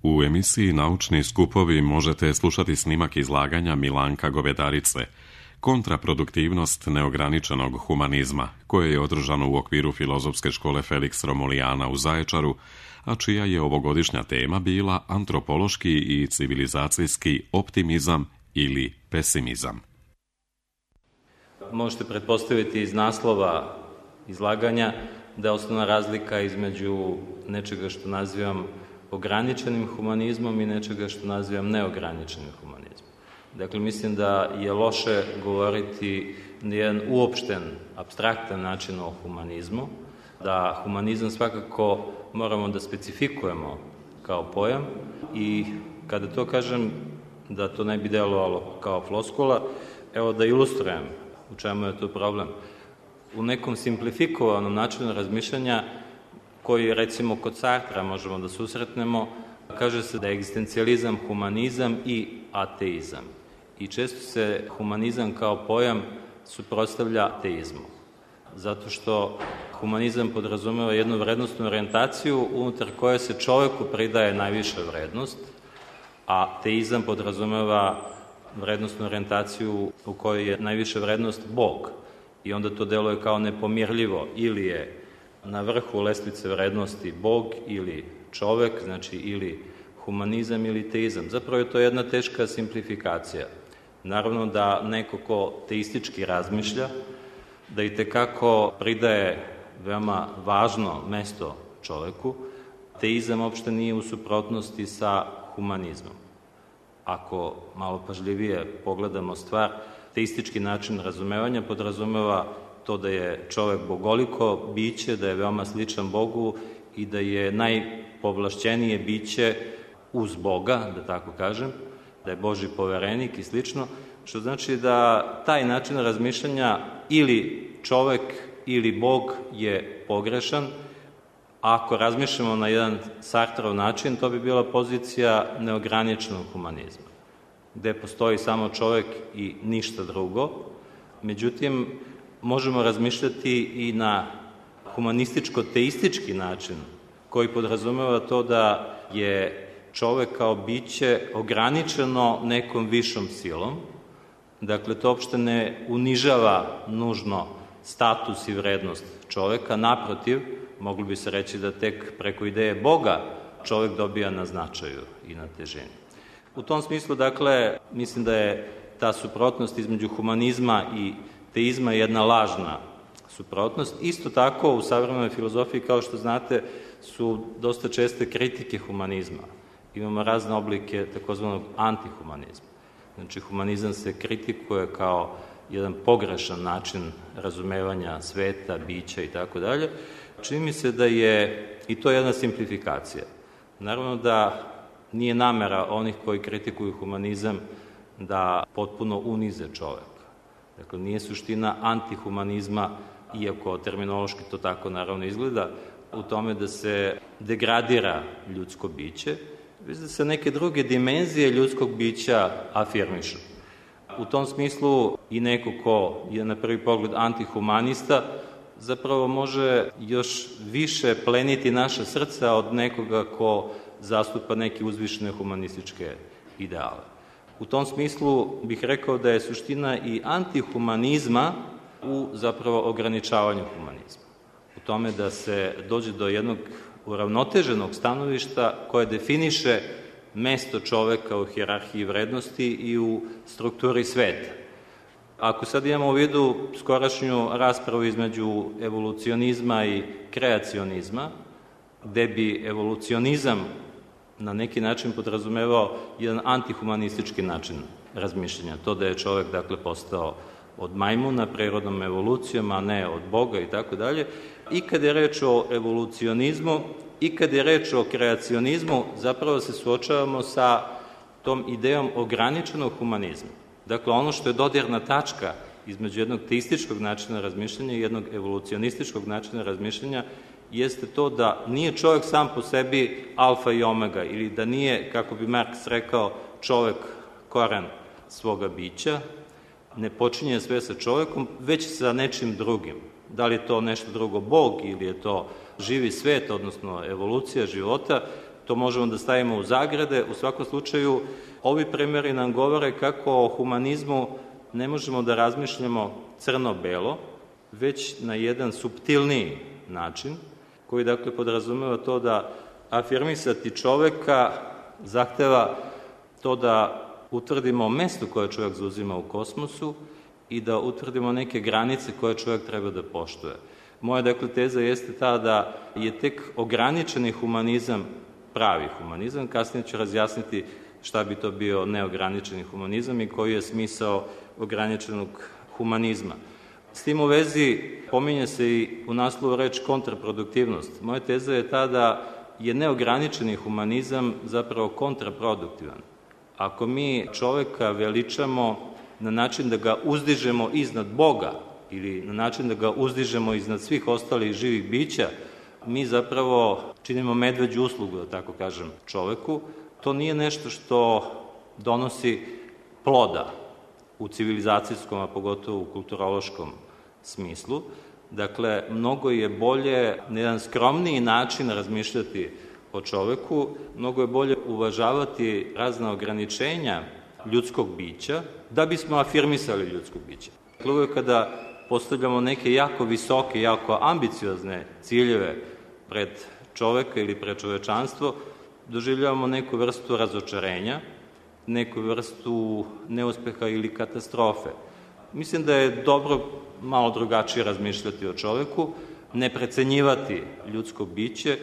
U emisiji Naučni skupovi možete slušati snimak izlaganja Milanka Govedarice Kontraproduktivnost neograničenog humanizma, koje je održano u okviru Filozofske škole Felix Romulijana u Zaječaru, a čija je ovogodišnja tema bila antropološki i civilizacijski optimizam ili pesimizam. Možete pretpostaviti iz naslova izlaganja da je osnovna razlika između nečega što nazivam ograničenim humanizmom i nečega što nazivam neograničenim humanizmom. Dakle, mislim da je loše govoriti na jedan uopšten, apstraktan način o humanizmu, da humanizam svakako moramo da specifikujemo kao pojam i kada to kažem, da to ne bi delovalo kao floskula, evo da ilustrujem u čemu je to problem. U nekom simplifikovanom načinu razmišljanja koji recimo kod Sartra možemo da susretnemo, kaže se da je egzistencijalizam humanizam i ateizam. I često se humanizam kao pojam suprotstavlja ateizmu. Zato što humanizam podrazumeva jednu vrednostnu orijentaciju unutar koje se čoveku pridaje najviša vrednost, a ateizam podrazumeva vrednostnu orijentaciju u kojoj je najviša vrednost Bog. I onda to deluje kao nepomirljivo. Ili je na vrhu lestvice vrednosti Bog ili čovek, znači ili humanizam ili teizam. Zapravo je to jedna teška simplifikacija. Naravno da neko ko teistički razmišlja, da itekako pridaje veoma važno mesto čoveku, teizam uopšte nije u suprotnosti sa humanizmom. Ako malo pažljivije pogledamo stvar, teistički način razumevanja podrazumeva to da je čovek bogoliko biće, da je veoma sličan Bogu i da je najpovlašćenije biće uz Boga, da tako kažem, da je Božji poverenik i slično, što znači da taj način razmišljanja ili čovek ili Bog je pogrešan. Ako razmišljamo na jedan Sartrov način, to bi bila pozicija neograničenog humanizma, gde postoji samo čovek i ništa drugo. Međutim, možemo razmišljati i na humanističko-teistički način, koji podrazumeva to da je čovek kao biće ograničeno nekom višom silom. Dakle, to uopšte ne unižava nužno status i vrednost čoveka. Naprotiv, moglo bi se reći da tek preko ideje Boga čovek dobija na značaju i na težini. U tom smislu, dakle, mislim da je ta suprotnost između humanizma i teizma jedna lažna suprotnost. Isto tako, u savremenoj filozofiji, kao što znate, su dosta česte kritike humanizma. Imamo razne oblike takozvanog antihumanizma. Znači, humanizam se kritikuje kao jedan pogrešan način razumevanja sveta, bića i tako dalje. Čini mi se da je i to jedna simplifikacija. Naravno da nije namera onih koji kritikuju humanizam da potpuno unize čoveka. Dakle, nije suština antihumanizma, iako terminološki to tako naravno izgleda, u tome da se degradira ljudsko biće, već da se neke druge dimenzije ljudskog bića afirmišu. U tom smislu i neko ko je na prvi pogled antihumanista zapravo može još više pleniti naša srca od nekoga ko zastupa neke uzvišene humanističke ideale. U tom smislu bih rekao da je suština i antihumanizma u zapravo ograničavanju humanizma. U tome da se dođe do jednog uravnoteženog stanovišta koje definiše mesto čoveka u hijerarhiji vrednosti i u strukturi sveta. Ako sad imamo u vidu skorašnju raspravu između evolucionizma i kreacionizma, gde bi evolucionizam na neki način podrazumevao jedan antihumanistički način razmišljanja, to da je čovek, dakle, postao od majmuna prirodnom evolucijom, a ne od Boga i tako dalje. I kad je reč o evolucionizmu i kad je reč o kreacionizmu, zapravo se suočavamo sa tom idejom ograničenog humanizma. Dakle, ono što je dodirna tačka između jednog teističkog načina razmišljanja i jednog evolucionističkog načina razmišljanja jeste to da nije čovek sam po sebi alfa i omega, ili da nije, kako bi Marks rekao, čovek koren svoga bića, ne počinje sve sa čovekom, već sa nečim drugim. Da li je to nešto drugo Bog ili je to živi svet, odnosno evolucija života, to možemo da stavimo u zagrade. U svakom slučaju, ovi primjeri nam govore kako o humanizmu ne možemo da razmišljamo crno-belo, već na jedan suptilniji način, koji dakle podrazumeva to da afirmisati čoveka zahteva to da utvrdimo mesto koje čovjek zauzima u kosmosu i da utvrdimo neke granice koje čovjek treba da poštuje. Moja dakle teza jeste ta da je tek ograničeni humanizam pravi humanizam. Kasnije ću razjasniti šta bi to bio neograničeni humanizam i koji je smisao ograničenog humanizma. S tim u vezi pominje se i u naslovu reč kontraproduktivnost. Moja teza je ta da je neograničeni humanizam zapravo kontraproduktivan. Ako mi čoveka veličamo na način da ga uzdižemo iznad Boga ili na način da ga uzdižemo iznad svih ostalih živih bića, mi zapravo činimo medveđu uslugu, da tako kažem, čoveku. To nije nešto što donosi ploda u civilizacijskom, a pogotovo u kulturološkom smislu. Dakle, mnogo je bolje na jedan skromniji način razmišljati o čoveku, mnogo je bolje uvažavati razna ograničenja ljudskog bića da bismo afirmisali ljudsko biće. Dakle, uvijek kada postavljamo neke jako visoke, jako ambiciozne ciljeve pred čoveka ili pred čovečanstvo, doživljavamo neku vrstu razočarenja, neku vrstu neuspeha ili katastrofe. Mislim da je dobro malo drugačije razmišljati o čoveku, ne precenjivati ljudsko biće,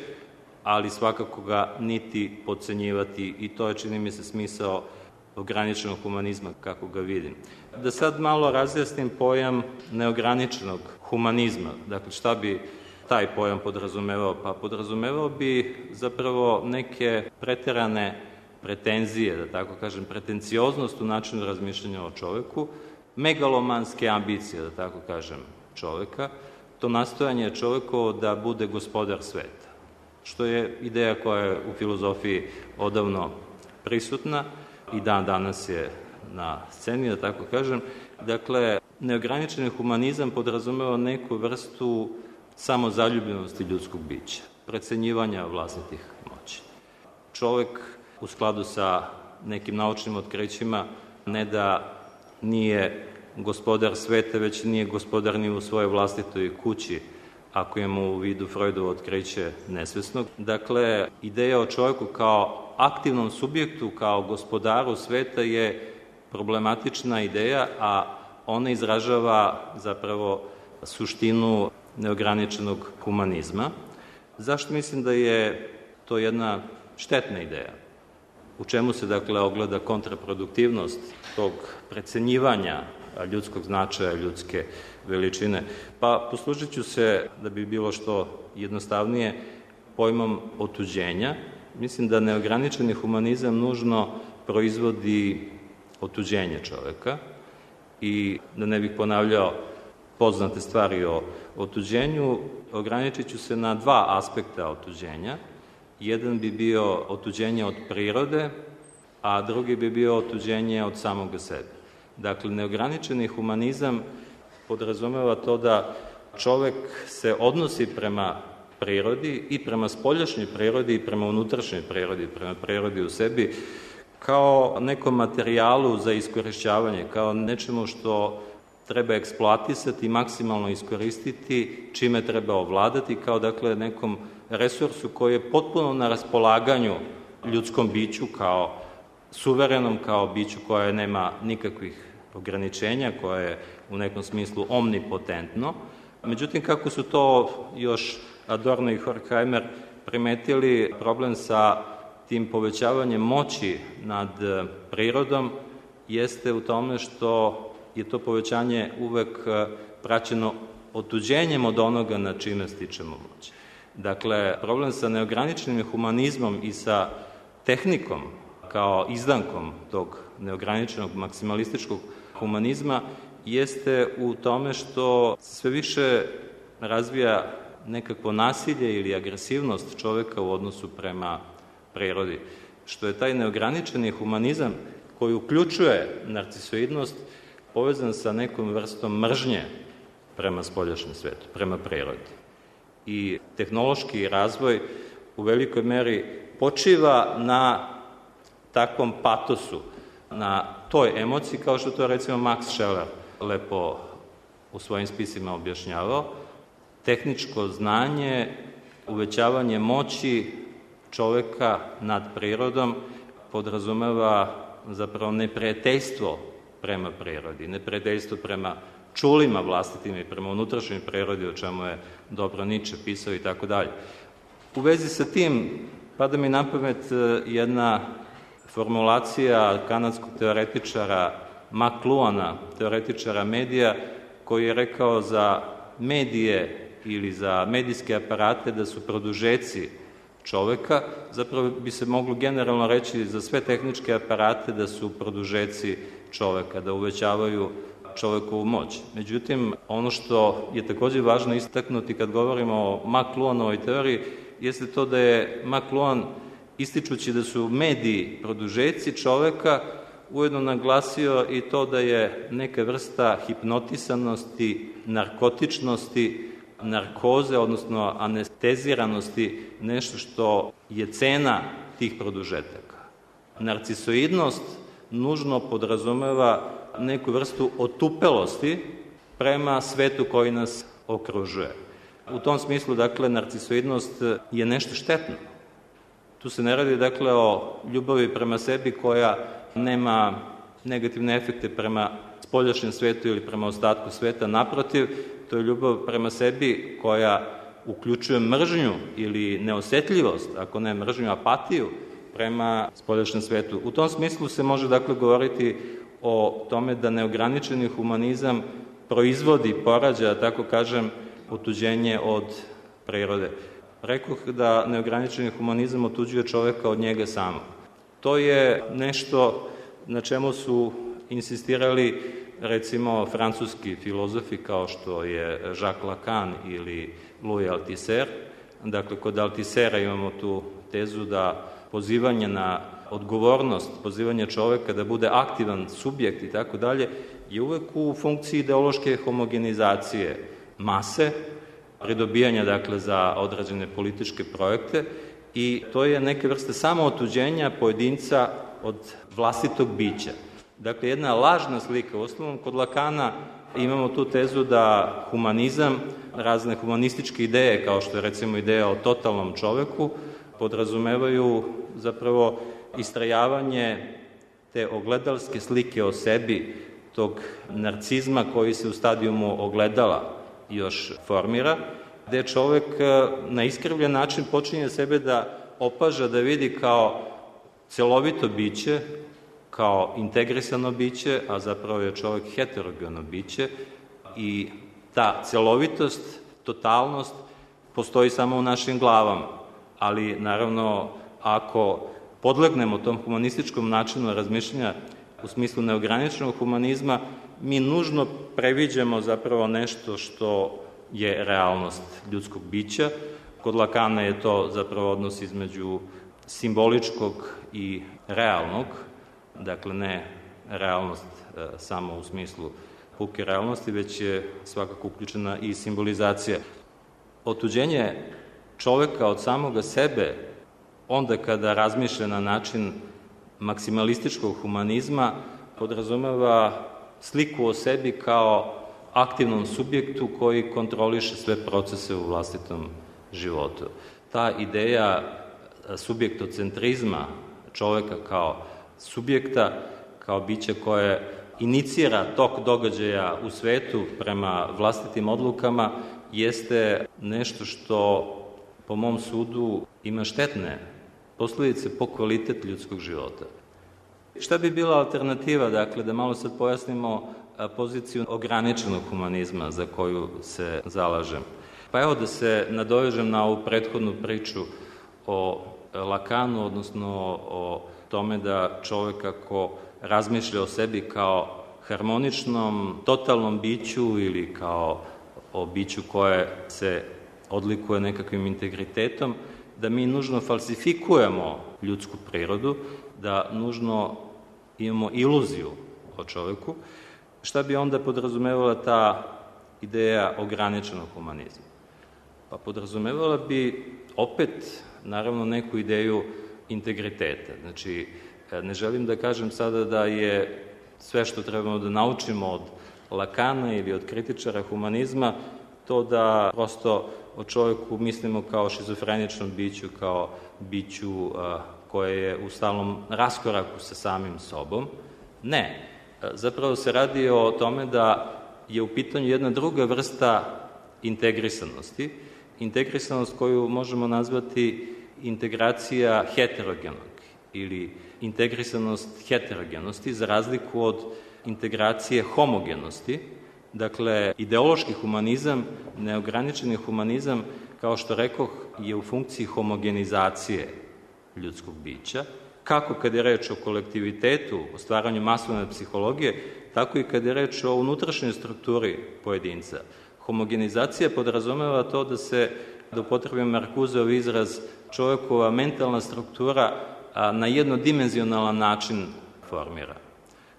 ali svakako ga niti podcenjivati, i to je, čini mi se, smisao ograničenog humanizma kako ga vidim. Da sad malo razjasnim pojam neograničenog humanizma. Dakle, šta bi taj pojam podrazumevao? Pa podrazumevao bi zapravo neke preterane pretenzije, da tako kažem, pretencioznost u načinu razmišljanja o čoveku, megalomanske ambicije, da tako kažem, čoveka, to nastojanje čovekovo da bude gospodar sveta, što je ideja koja je u filozofiji odavno prisutna i dan danas je na sceni, da tako kažem. Dakle, neograničeni humanizam podrazumeva neku vrstu samozaljubljenosti ljudskog bića, precenjivanja vlastitih moći. Čovek u skladu sa nekim naučnim otkrićima ne da nije gospodar sveta, već nije gospodar ni u svojoj vlastitoj kući, ako imamo u vidu Freudovo otkriće nesvesnog. Dakle, ideja o čovjeku kao aktivnom subjektu, kao gospodaru sveta je problematična ideja, a ona izražava zapravo suštinu neograničenog humanizma. Zašto mislim da je to jedna štetna ideja? U čemu se, dakle, ogleda kontraproduktivnost tog precenjivanja ljudskog značaja, ljudske veličine? Pa poslužit ću se, da bi bilo što jednostavnije, pojmom otuđenja. Mislim da neograničeni humanizam nužno proizvodi otuđenje čoveka i da ne bih ponavljao poznate stvari o otuđenju, ograničit ću se na dva aspekta otuđenja. Jedan bi bio otuđenje od prirode, a drugi bi bio otuđenje od samoga sebe. Dakle, neograničeni humanizam podrazumeva to da čovek se odnosi prema prirodi i prema spoljašnjoj prirodi i prema unutrašnjoj prirodi, prema prirodi u sebi, kao nekom materijalu za iskorišćavanje, kao nečemu što treba eksploatisati, maksimalno iskoristiti, čime treba ovladati, kao dakle nekom resursu koji je potpuno na raspolaganju ljudskom biću, kao suverenom, kao biću koje nema nikakvih ograničenja, koje je u nekom smislu omnipotentno. Međutim, kako su to još Adorno i Horkheimer primetili, problem sa tim povećavanjem moći nad prirodom jeste u tome što je to povećanje uvek praćeno otuđenjem od onoga na čime stičemo moć. Dakle, problem sa neograničenim humanizmom i sa tehnikom kao izdankom tog neograničenog maksimalističkog humanizma jeste u tome što sve više razvija nekakvo nasilje ili agresivnost čoveka u odnosu prema prirodi, što je taj neograničeni humanizam koji uključuje narcisoidnost povezan sa nekom vrstom mržnje prema spoljašnjem svetu, prema prirodi. I tehnološki razvoj u velikoj meri počiva na takvom patosu, na toj emociji, kao što to recimo Max Scheler lepo u svojim spisima objašnjavao. Tehničko znanje, uvećavanje moći čoveka nad prirodom podrazumeva zapravo neprijateljstvo prema prirodi, neprijateljstvo prema čulima vlastitim i prema unutrašnjoj prirodi, o čemu je dobro Nietzsche pisao i tako dalje. U vezi sa tim pada mi na pamet jedna formulacija kanadskog teoretičara McLuhana, teoretičara medija, koji je rekao za medije ili za medijske aparate da su produžeci čoveka, zapravo bi se moglo generalno reći za sve tehničke aparate da su produžeci čoveka, da uvećavaju čovekovu moć. Međutim, ono što je takođe važno istaknuti kad govorimo o McLuhanovoj teoriji, jeste to da je McLuhan, ističući da su mediji produžeci čoveka, ujedno naglasio i to da je neka vrsta hipnotisanosti, narkotičnosti, narkoze, odnosno anesteziranosti, nešto što je cena tih produžetaka. Narcisoidnost nužno podrazumeva neku vrstu otupelosti prema svetu koji nas okružuje. U tom smislu, dakle, narcisoidnost je nešto štetno. Tu se ne radi, dakle, o ljubavi prema sebi koja nema negativne efekte prema spoljašnjem svetu ili prema ostatku sveta. Naprotiv, to je ljubav prema sebi koja uključuje mržnju ili neosetljivost, ako ne mržnju, apatiju prema spoljašnjem svetu. U tom smislu se može, dakle, govoriti o tome da neograničeni humanizam proizvodi, porađa, tako kažem, otuđenje od prirode. Rekoh da neograničeni humanizam otuđuje čoveka od njega samog. To je nešto na čemu su insistirali recimo francuski filozofi kao što je Jacques Lacan ili Louis Althusser. Dakle, kod Althusera imamo tu tezu da pozivanje na odgovornost, pozivanje čoveka da bude aktivan subjekt i tako dalje, je uvek u funkciji ideološke homogenizacije mase, pridobijanja, dakle, za određene političke projekte, i to je neka vrsta samootuđenja pojedinca od vlastitog bića. Dakle, jedna lažna slika. U osnovom, kod Lakana imamo tu tezu da humanizam, razne humanističke ideje, kao što je recimo ideja o totalnom čoveku, podrazumevaju zapravo istrajavanje te ogledalske slike o sebi, tog narcizma koji se u stadijumu ogledala još formira, gde čovek na iskrivljen način počinje sebe da opaža, da vidi kao celovito biće, kao integrisano biće, a zapravo je čovek heterogeno biće, i ta celovitost, totalnost postoji samo u našim glavama. Ali, naravno, ako podlegnemo tom humanističkom načinu razmišljanja u smislu neograničenog humanizma, mi nužno previđamo zapravo nešto što je realnost ljudskog bića. Kod Lakana je to zapravo odnos između simboličkog i realnog, dakle ne realnost samo u smislu puke realnosti, već je svakako uključena i simbolizacija. Otuđenje čoveka od samoga sebe, onda kada razmišlja na način maksimalističkog humanizma, podrazumeva sliku o sebi kao aktivnom subjektu koji kontroliše sve procese u vlastitom životu. Ta ideja subjektocentrizma čoveka kao subjekta, kao bića koje inicira tok događaja u svetu prema vlastitim odlukama, jeste nešto što, po mom sudu, ima štetne posledice po kvalitet ljudskog života. Šta bi bila alternativa, dakle, da malo sad pojasnimo poziciju ograničenog humanizma za koju se zalažem? Pa evo da se nadovežem na ovu prethodnu priču o Lakanu, odnosno o tome da čovek ako razmišlja o sebi kao harmoničnom, totalnom biću ili kao o biću koje se odlikuje nekakvim integritetom, da mi nužno falsifikujemo ljudsku prirodu, da nužno imamo iluziju o čoveku. Šta bi onda podrazumevala ta ideja ograničenog humanizma? Pa podrazumevala bi opet, naravno, neku ideju integriteta. Znači, ne želim da kažem sada da je sve što trebamo da naučimo od Lakana ili od kritičara humanizma to da prosto o čovjeku mislimo kao šizofreničnom biću, kao biću koje je u stalnom raskoraku sa samim sobom. Ne. Zapravo se radi o tome da je u pitanju jedna druga vrsta integrisanosti. Integrisanost koju možemo nazvati integracija heterogenog ili integrisanost heterogenosti za razliku od integracije homogenosti. Dakle, ideološki humanizam, neograničeni humanizam, kao što rekoh, je u funkciji homogenizacije ljudskog bića, kako kad je reč o kolektivitetu, o stvaranju masovne psihologije, tako i kad je reč o unutrašnjoj strukturi pojedinca. Homogenizacija podrazumeva to da upotrebim Markuseov izraz, čovjekova mentalna struktura na jednodimenzionalan način formira.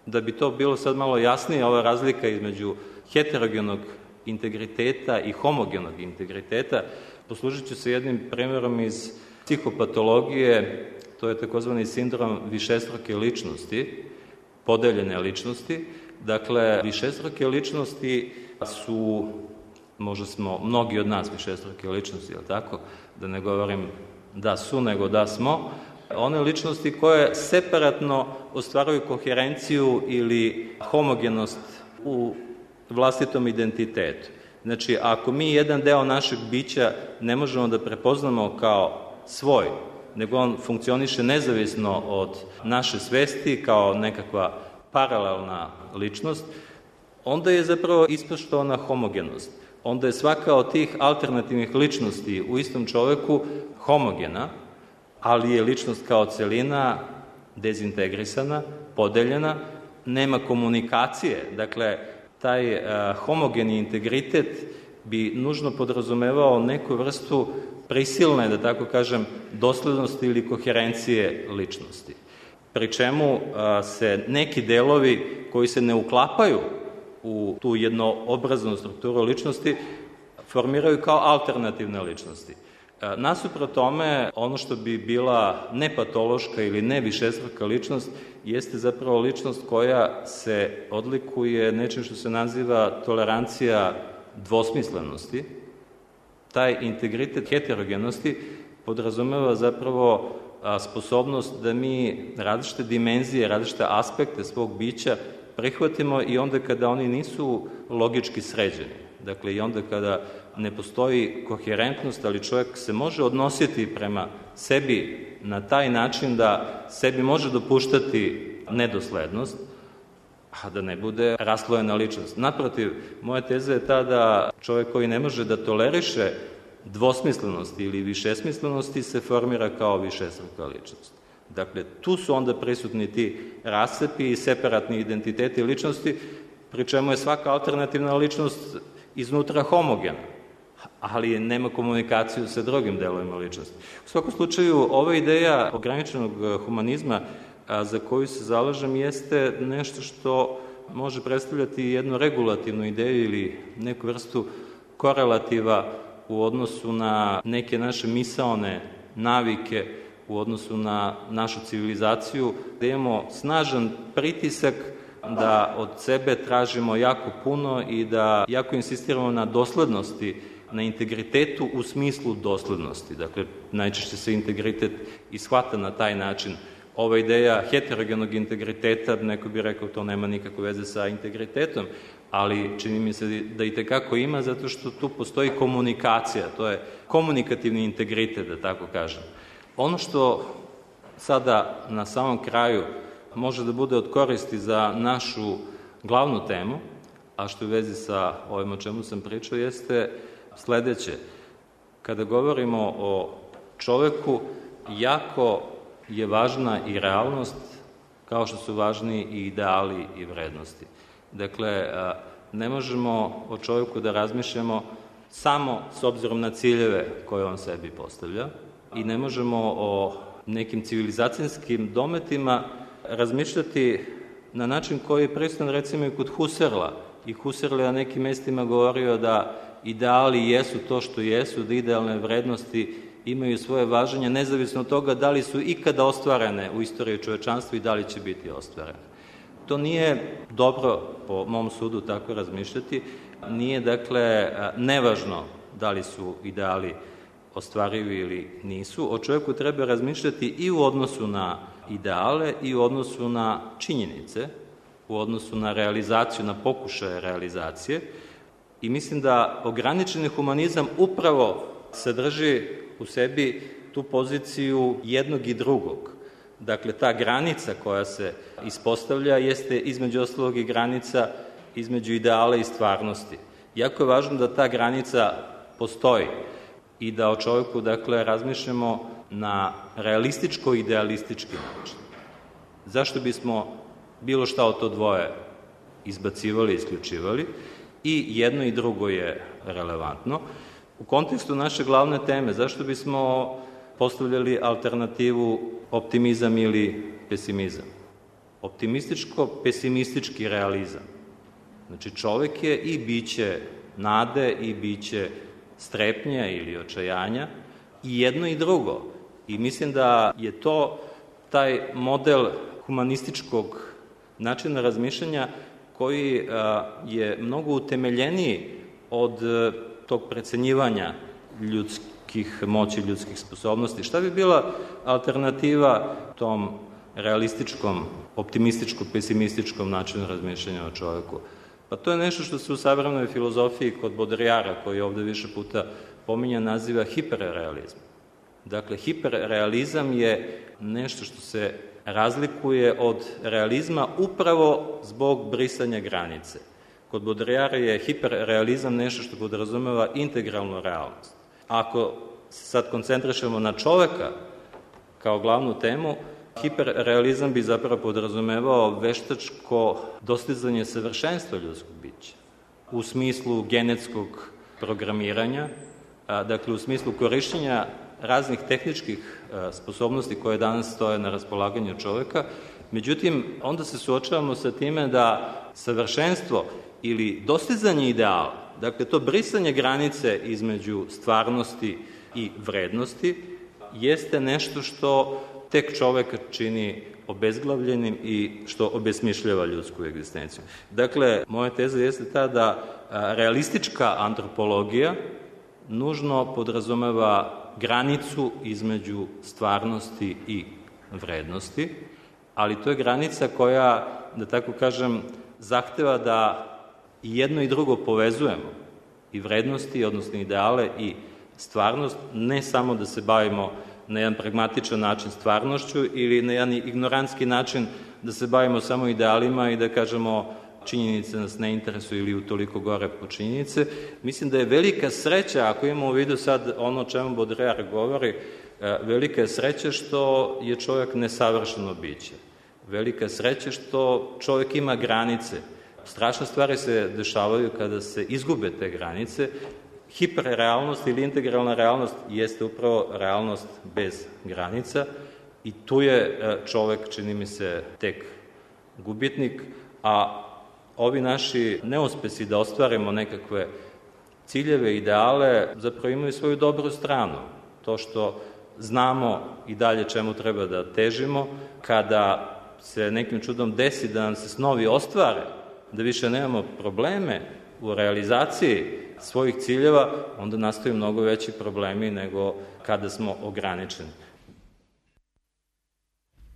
Da bi to bilo sad malo jasnije, ova razlika između heterogenog integriteta i homogenog integriteta, poslužit ću se jednim primjerom iz psihopatologije, to je takozvani sindrom višestruke ličnosti, podeljene ličnosti. Dakle, višestruke ličnosti su, možda smo mnogi od nas višestruke ličnosti, jel tako? Da ne govorim da su, nego da smo. One ličnosti koje separatno ostvaruju koherenciju ili homogenost u vlastitom identitetu. Znači, ako mi jedan deo našeg bića ne možemo da prepoznamo kao svoj, nego on funkcioniše nezavisno od naše svesti kao nekakva paralelna ličnost, onda je zapravo ispoštovana homogenost. Onda je svaka od tih alternativnih ličnosti u istom čoveku homogena, ali je ličnost kao celina dezintegrisana, podeljena, nema komunikacije. Dakle, taj homogeni integritet bi nužno podrazumevao neku vrstu prisilne, da tako kažem, doslednosti ili koherencije ličnosti. Pri čemu se neki delovi koji se ne uklapaju u tu jednoobraznu strukturu ličnosti formiraju kao alternativne ličnosti. Nasuprot tome, ono što bi bila nepatološka ili ne višestruka ličnost jeste zapravo ličnost koja se odlikuje nečim što se naziva tolerancija dvosmislenosti. Taj integritet heterogenosti podrazumeva zapravo sposobnost da mi različite dimenzije, različite aspekte svog bića prihvatimo i onda kada oni nisu logički sređeni. Dakle, i onda kada ne postoji koherentnost, ali čovjek se može odnositi prema sebi na taj način da sebi može dopuštati nedoslednost, a da ne bude raslojena ličnost. Naprotiv, moja teza je ta da čovjek koji ne može da toleriše dvosmislenosti ili višesmislenosti se formira kao višestruka ličnost. Dakle, tu su onda prisutni ti rascepi i separatni identiteti ličnosti, pri čemu je svaka alternativna ličnost iznutra homogena, ali nema komunikaciju sa drugim delovima ličnosti. U svakom slučaju, ova ideja ograničenog humanizma za koju se zalažem jeste nešto što može predstavljati jednu regulativnu ideju ili neku vrstu korelativa u odnosu na neke naše misaone navike, u odnosu na našu civilizaciju, da imamo snažan pritisak da od sebe tražimo jako puno i da jako insistiramo na doslednosti, na integritetu u smislu doslednosti. Dakle, najčešće se integritet i shvata na taj način. Ova ideja heterogenog integriteta, neko bi rekao, to nema nikakve veze sa integritetom, ali čini mi se da i tekako ima, zato što tu postoji komunikacija, to je komunikativni integritet, da tako kažem. Ono što sada na samom kraju može da bude od koristi za našu glavnu temu, a što u vezi sa ovim o čemu sam pričao, jeste sledeće. Kada govorimo o čoveku, jako je važna i realnost, kao što su važni i ideali i vrednosti. Dakle, ne možemo o čovjeku da razmišljamo samo s obzirom na ciljeve koje on sebi postavlja i ne možemo o nekim civilizacijskim dometima razmišljati na način koji je prisutan recimo i kod Husserla. I Husserl je na nekim mestima govorio da ideali jesu to što jesu, da idealne vrednosti imaju svoje važenje, nezavisno od toga da li su ikada ostvarene u istoriji čovečanstva i da li će biti ostvarene. To nije dobro, po mom sudu, tako razmišljati. Nije, dakle, nevažno da li su ideali ostvarivi ili nisu. O čovjeku treba razmišljati i u odnosu na ideale i u odnosu na činjenice, u odnosu na realizaciju, na pokušaje realizacije. I mislim da ograničeni humanizam upravo sadrži u sebi tu poziciju jednog i drugog. Dakle, ta granica koja se ispostavlja jeste između ostalog i granica između ideala i stvarnosti. Jako je važno da ta granica postoji i da o čovjeku, dakle, razmišljamo na realističko-idealistički način. Zašto bismo bilo šta od to dvoje izbacivali, isključivali? I jedno i drugo je relevantno. U kontekstu naše glavne teme, zašto bismo postavljali alternativu optimizam ili pesimizam? Optimističko-pesimistički realizam. Znači, čovjek je i biće nade i biće strepnja ili očajanja, i jedno i drugo. I mislim da je to taj model humanističkog načina razmišljanja koji je mnogo utemeljeniji od tog precenjivanja ljudskih moći, ljudskih sposobnosti. Šta bi bila alternativa tom realističkom, optimističko-pesimističkom načinu razmišljanja o čovjeku? Pa to je nešto što se u savremenoj filozofiji kod Baudrillarda, koji je ovde više puta pominjan, naziva hiperrealizam. Dakle, hiperrealizam je nešto što se razlikuje od realizma upravo zbog brisanja granice. Kod Baudrillarda je hiperrealizam nešto što podrazumeva integralnu realnost. Ako se sad koncentrišemo na čoveka kao glavnu temu, hiperrealizam bi zapravo podrazumevao veštačko dostizanje savršenstva ljudskog bića u smislu genetskog programiranja, dakle u smislu korišćenja raznih tehničkih sposobnosti koje danas stoje na raspolaganju čoveka. Međutim, onda se suočavamo sa time da savršenstvo ili dostizanje ideala, dakle to brisanje granice između stvarnosti i vrednosti, jeste nešto što tek čoveka čini obezglavljenim i što obesmišljava ljudsku egzistenciju. Dakle, moja teza jeste ta da realistička antropologija nužno podrazumeva granicu između stvarnosti i vrednosti, ali to je granica koja, da tako kažem, zahteva da i jedno i drugo povezujemo, i vrednosti, odnosno ideale, i stvarnost, ne samo da se bavimo na jedan pragmatičan način stvarnošću ili na jedan ignorantski način da se bavimo samo idealima i da kažemo činjenice nas ne interesuju ili utoliko gore po činjenice. Mislim da je velika sreća, ako imamo u vidu sad ono o čemu Baudrillard govori, velika je sreća što je čovjek nesavršeno biće. Velika je sreća što čovjek ima granice. Strašne stvari se dešavaju kada se izgube te granice. Hiperrealnost ili integralna realnost jeste upravo realnost bez granica i tu je čovek, čini mi se, tek gubitnik, a ovi naši neuspesi da ostvarimo nekakve ciljeve, ideale, zapravo imaju svoju dobru stranu. To što znamo i dalje čemu treba da težimo, kada se nekim čudom desi da nam se snovi ostvare, da više nemamo probleme u realizaciji svojih ciljeva, onda nastaju mnogo veći problemi nego kada smo ograničeni.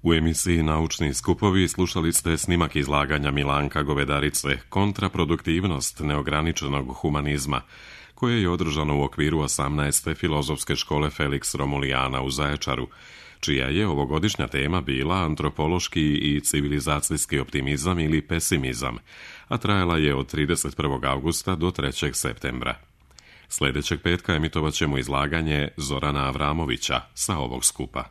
U emisiji Naučni skupovi slušali ste snimak izlaganja Milanka Govedarice Kontraproduktivnost neograničenog humanizma, koje je održano u okviru 18. filozofske škole Felix Romulijana u Zaječaru, čija je ovogodišnja tema bila antropološki i civilizacijski optimizam ili pesimizam, a trajala je od 31. augusta do 3. septembra. Sljedećeg petka emitovat ćemo izlaganje Zorana Avramovića sa ovog skupa.